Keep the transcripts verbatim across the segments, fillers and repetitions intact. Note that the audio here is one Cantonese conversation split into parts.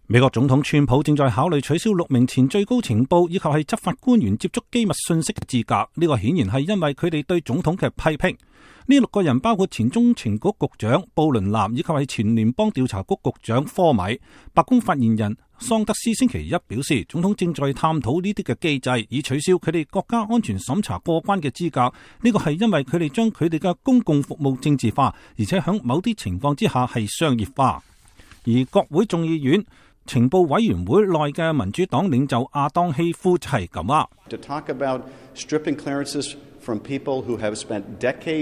美國總統川普正在考慮取消六名前最高情報以及係執法官員接觸機密信息嘅資格，呢個顯然係因為佢哋對總統嘅批評。呢六個人包括前中情局局長布倫南以及係前聯邦調查局局長科米。白宮發言人桑德斯星期一表示，總統正在探討呢啲嘅機制，以取消佢哋國家安全審查過關嘅資格。呢個係因為佢哋將佢哋嘅公共服務政治化，而且喺某啲情況之下係商業化。而國會眾議院情報委員會內嘅民主黨領袖亞當希夫就係咁啊。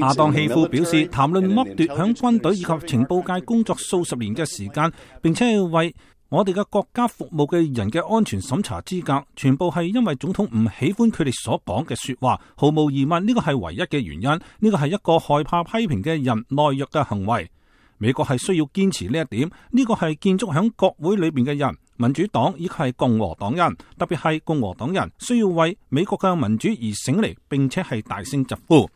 亞當希夫表示，談論剝奪響軍隊以及情報界工作數十年嘅時間，並且係為我哋嘅國家服務嘅人嘅安全審查資格，全部係因為總統唔喜歡佢哋所講嘅說話。毫無疑問，呢個係唯一嘅原因。呢個係一個害怕批評嘅人懦弱嘅行為。美國係需要堅持呢一點，呢個係建築喺國會裏邊嘅人，民主黨以及係共和黨人，特別係共和黨人需要為美國嘅民主而醒嚟，並且係大聲疾呼。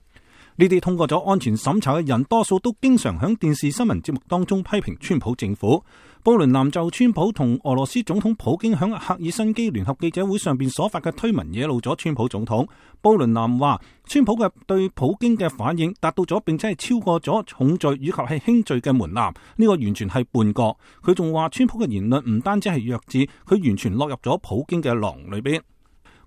呢啲通過咗安全審查嘅人，多數都經常喺電視新聞節目當中批評川普政府。布倫南就川普同俄羅斯總統普京喺赫爾辛基聯合記者會上邊所發嘅推文惹怒咗川普總統。布倫南話，川普嘅對普京嘅反應達到咗，並且係超過咗重罪以及係輕罪嘅門檻，呢個完全係叛國。佢仲話，川普嘅言論唔單止係弱智，佢完全落入咗普京嘅囊裏邊。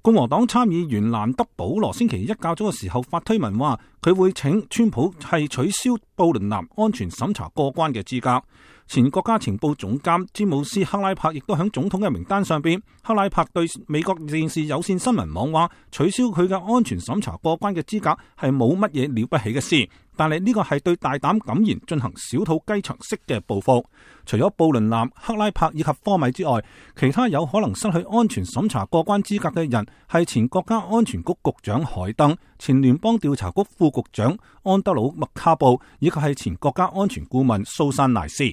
共和黨參議員蘭德保羅星期一較早嘅時候發推文話，佢會請川普係取消布倫南安全審查過關嘅資格。前國家情報總監詹姆斯克拉柏亦都喺總統嘅名單上邊。克拉柏對美國電視有線新聞網話，取消佢嘅安全審查過關嘅資格係冇乜嘢了不起嘅事，但係呢個係對大膽敢言進行小肚雞腸式嘅報復。除咗布倫南、克拉柏以及科米之外，其他有可能失去安全審查過關資格嘅人係前國家安全局局長海登、前聯邦調查局副局長安德魯麥卡布以及係前國家安全顧問蘇珊賴斯。